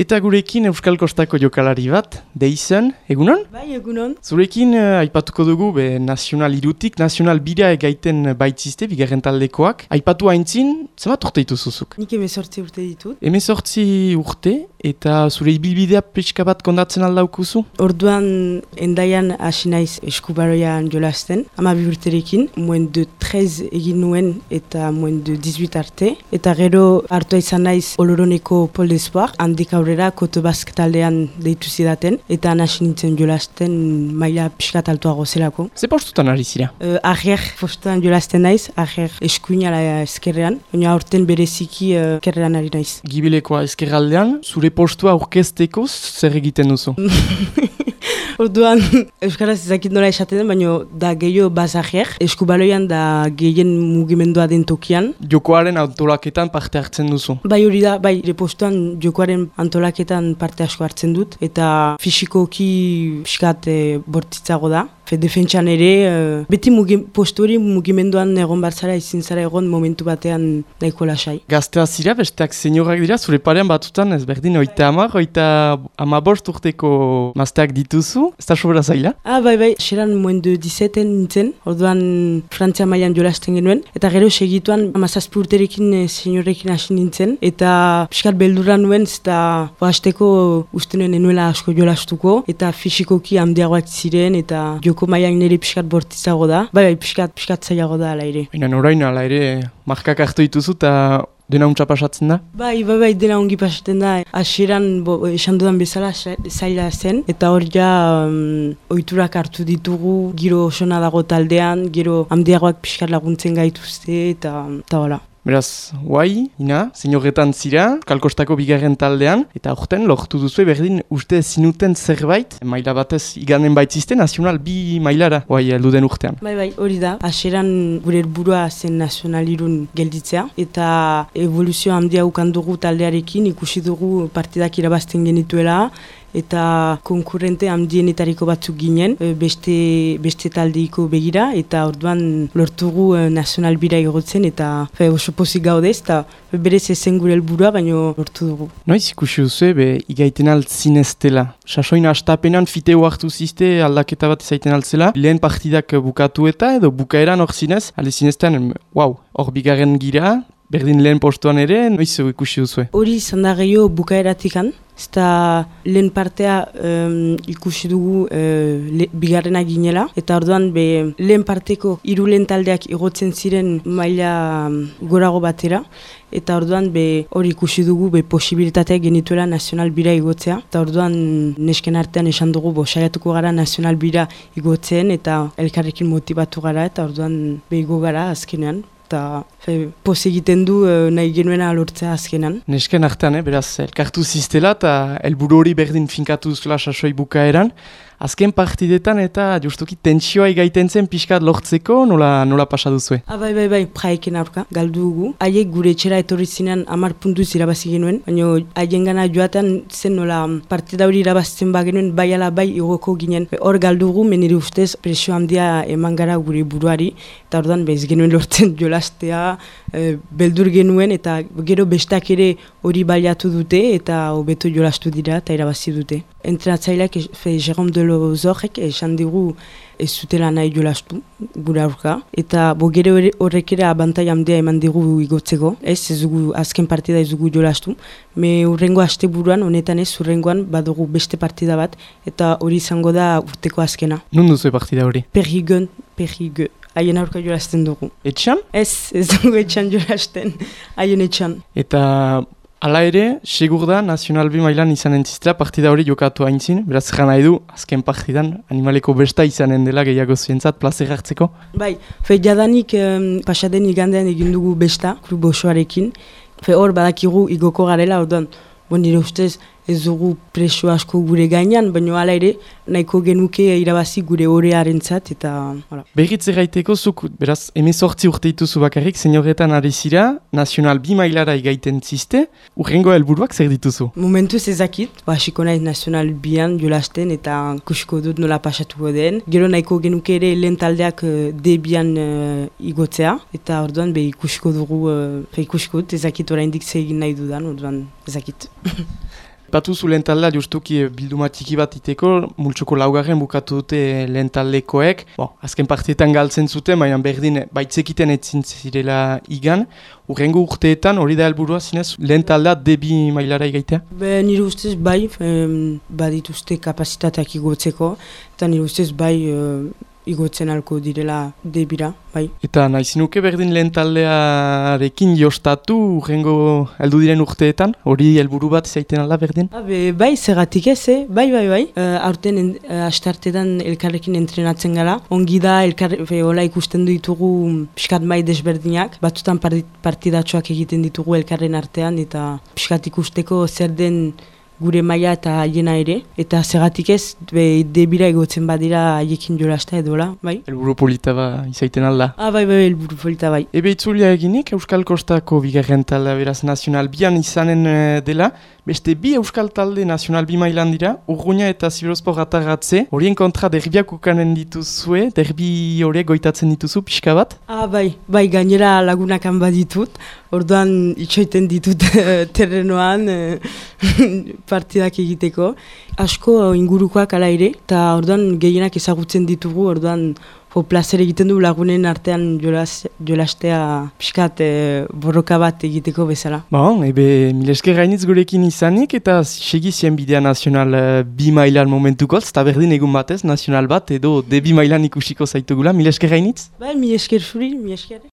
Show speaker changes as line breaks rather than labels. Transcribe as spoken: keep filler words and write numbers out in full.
Eta gurekin Euskal Kostako jokalari bat, Deizen, egunon?
Bai, egunon.
Zurekin uh, aipatuko dugu be, nazional irutik, nazional bira egaiten baitzizte, bigarren taldekoak. Aipatu haintzin, zemat urte dituzuzuk?
Nik emezortzi urte ditut.
Emezortzi urte, eta zure ibilbidea pixka bat kondatzen aldaukuzu?
Orduan endaian hasi naiz eskubaroian jolasten, ama bi urterekin, moen de trez egin nuen eta moen de dix-huit arte. Eta gero hartua izan naiz Oloroneko Pol d'Espoir, handik aurrera Koto Bask taldean deitu zidaten, eta hasi nintzen jolasten maila pixkat altuago zelako.
Ze postutan ari zira?
Uh, Ager postuan jolasten naiz, ager eskuinala eskerrean, baina aurten bereziki uh, eskerrean ari naiz.
Gibilekoa eskerraldean, zure postua aurkezteko zer egiten duzu?
Orduan, euskaraz ezakit nola esaten den, baina da gehiago bazajer, eskubaloian da gehien mugimendua den tokian.
Jokoaren antolaketan parte hartzen duzu?
Bai hori da, bai, repostuan jokoaren antolaketan parte asko hartzen dut, eta fisikoki pixkat e, bortitzago da. Fe, defentsan ere, uh, beti mugi, postu hori mugimenduan egon batzara, izin zara egon momentu batean nahiko lasai.
Gaztea zira, besteak seniorak dira, zure parean batutan ez berdin, oita hamar, oita hamabost urteko mazteak dituzu, ez da sobera zaila?
Ah, bai, bai, xeran moen de dix-sept nintzen, orduan Frantzia mailan jolasten genuen, eta gero segituan hamazazpi urterekin e, seniorekin hasi nintzen, eta pixkat beldurra nuen, eta hasteko uste nuen enuela asko jolastuko, eta fisikoki handiagoak ziren, eta joko mailan nire pixkat bortitzago da, bai, bai, pixkat, pixkat zailago da ala ere.
Baina orain ala ere, markak hartu dituzu eta dena untsa pasatzen da?
Bai, bai, bai, dena ongi pasatzen da. Hasieran esan dudan bezala zaila zen, eta hor ja um, ohiturak hartu ditugu, giro osona dago taldean, gero handiagoak pixkat laguntzen gaituzte, eta eta hola.
Beraz, guai, ina, senioretan zira, Kalkostako bigarren taldean, eta aurten lortu duzu berdin uste zinuten zerbait, maila batez iganen baitzizte, nazional bi mailara, guai, heldu den urtean.
Bai, bai, hori da. Hasieran gure helburua zen nazional irun gelditzea, eta evoluzio handia ukan dugu taldearekin, ikusi dugu partidak irabazten genituela, eta konkurrente handienetariko batzuk ginen, beste, beste taldeiko begira, eta orduan lortugu nazional bira igotzen, eta fe, oso pozik gaudez, eta berez ezen gure helburua, baino lortu dugu.
Noiz ikusi duzu, be, igaiten altzineztela. Sasoin hastapenan fiteo hartu zizte aldaketa bat izaiten altzela, lehen partidak bukatu eta, edo bukaeran hor zinez, alde zinezten, wow, hor bigarren gira, berdin lehen postuan ere, noiz ikusi duzu?
Hori izan da gehiago bukaeratikan, eta lehen partea um, ikusi dugu uh, le, bigarrena ginela, eta orduan be, lehen parteko hiru lehen taldeak igotzen ziren maila um, gorago batera, eta orduan be, hori ikusi dugu be, posibilitateak genituela nazional bira igotzea, eta orduan nesken artean esan dugu bo, saiatuko gara nazional bira igotzen, eta elkarrekin motibatu gara, eta orduan be, igo gara azkenean. Eta poz egiten du nahi genuena lortzea azkenan.
Nesken artean, eh, beraz, elkartu ziztela eta helburu hori berdin finkatu zela sasoi bukaeran. Azken partidetan eta justuki tentsioa igaiten zen pixkat lortzeko, nola, nola pasa duzue?
Ah, bai, bai, bai, praeken aurka, galdu dugu. Haiek gure etxera etorri zinean hamar puntuz irabazi genuen, baina haien gana joatan zen nola partida hori irabazten bagenuen bai ala bai igoko ginen. Hor galdu dugu, menire ustez presio handia eman gara gure buruari, eta orduan bez genuen lortzen jolastea, e, beldur genuen, eta gero bestak ere hori baliatu dute, eta hobeto jolastu dira eta irabazi dute. Entrenatzaileak, Jérôme Delozorrek esan digu ez zutela nahi jolastu, gure aurka. Eta bo gero horrek ere abantai handia eman digu igotzeko. Ez, ez dugu, azken partida ez dugu jolastu. Me urrengo asteburuan, honetan ez, urrengoan badugu beste partida bat, eta hori izango da urteko azkena.
Nun duzu partida hori?
Perrigen, Perrigen. Haien aurka jolasten dugu.
Etxan?
Ez, ez dugu etxan jolasten, haien etxan.
Eta hala ere, segur da, nazional bi mailan izanen ziztela partida hori jokatu haintzin, beraz jan nahi du, azken partidan, animaleko besta izanen dela gehiago zuentzat, plazer hartzeko?
Bai, fe jadanik um, pasaden igandean egin dugu besta, klub osoarekin, fe hor badakigu igoko garela, orduan, bon, nire ustez ez dugu presio asko gure gainean, baina hala ere, nahiko genuke irabazi gure orearentzat eta hala.
Berriz erraiteko zuk, beraz, emezortzi urte dituzu bakarrik, senioretan ari zira, nazional bi mailara igaiten ziste, urrengo helburuak zer dituzu?
Momentuz ezakit, hasiko naiz nazional bian jolasten eta kusiko dut nola pasatuko den. Gero nahiko genuke ere lehen taldeak D bian uh, igotzea, eta orduan be ikusiko dugu, uh, ikusiko dut ezakit oraindik ze egin nahi dudan, orduan ezakit.
Batu zu lehen taldea justuki bilduma txiki bat iteko, multsoko laugarren bukatu dute lehen taldekoek. Bon, azken partietan galtzen zuten, baina berdin baitzekiten etzin zirela igan. Urrengo urteetan hori da helburua zinez lehen taldea debi mailara igaitea?
Be, nire ustez bai, em, badituzte kapasitateak igotzeko, eta nire ustez bai e, igotzen alko direla debira, bai.
Eta nahizinuke berdin lehen taldearekin jostatu urrengo heldu diren urteetan? Hori helburu bat zaiten alda berdin?
Be, bai, zergatik ez, eh? bai, bai, bai. Uh, aurten en, uh, astartetan elkarrekin entrenatzen gara. Ongi da, elkar, be, hola ikusten ditugu piskat mai desberdinak. Batzutan partidatxoak egiten ditugu elkarren artean, eta piskat ikusteko zer den gure maila eta haiena ere, eta zergatik ez, be, debira egotzen badira haiekin jolasta edola, bai?
Helburu polita ba izaiten alda.
Ah, bai, bai, helburu polita, bai.
Ebe itzulia eginik, Euskal Kostako bigarren taldea beraz Nazional Bian izanen dela, beste bi Euskal Talde Nazional Bi mailan dira, Urruña eta Ziberospor Atarratze, horien kontra derbiak ukanen dituzue, derbi horiek goitatzen dituzu, pixka bat?
Ah, bai, bai, gainera lagunakan baditut, orduan itxoiten ditut terrenoan partidak egiteko. Asko ingurukoak ala ere, eta orduan gehienak ezagutzen ditugu, orduan jo, plazer egiten du lagunen artean jolas, jolastea pixkat e, borroka bat egiteko bezala.
Bon, ebe milesker gainitz gurekin izanik eta segizien bidea Nazional uh, Bi mailan momentukoz, eta berdin egun batez, Nazional bat edo de Bi mailan ikusiko zaitugula, milesker gainitz?
Bai, milesker zuri, milesker.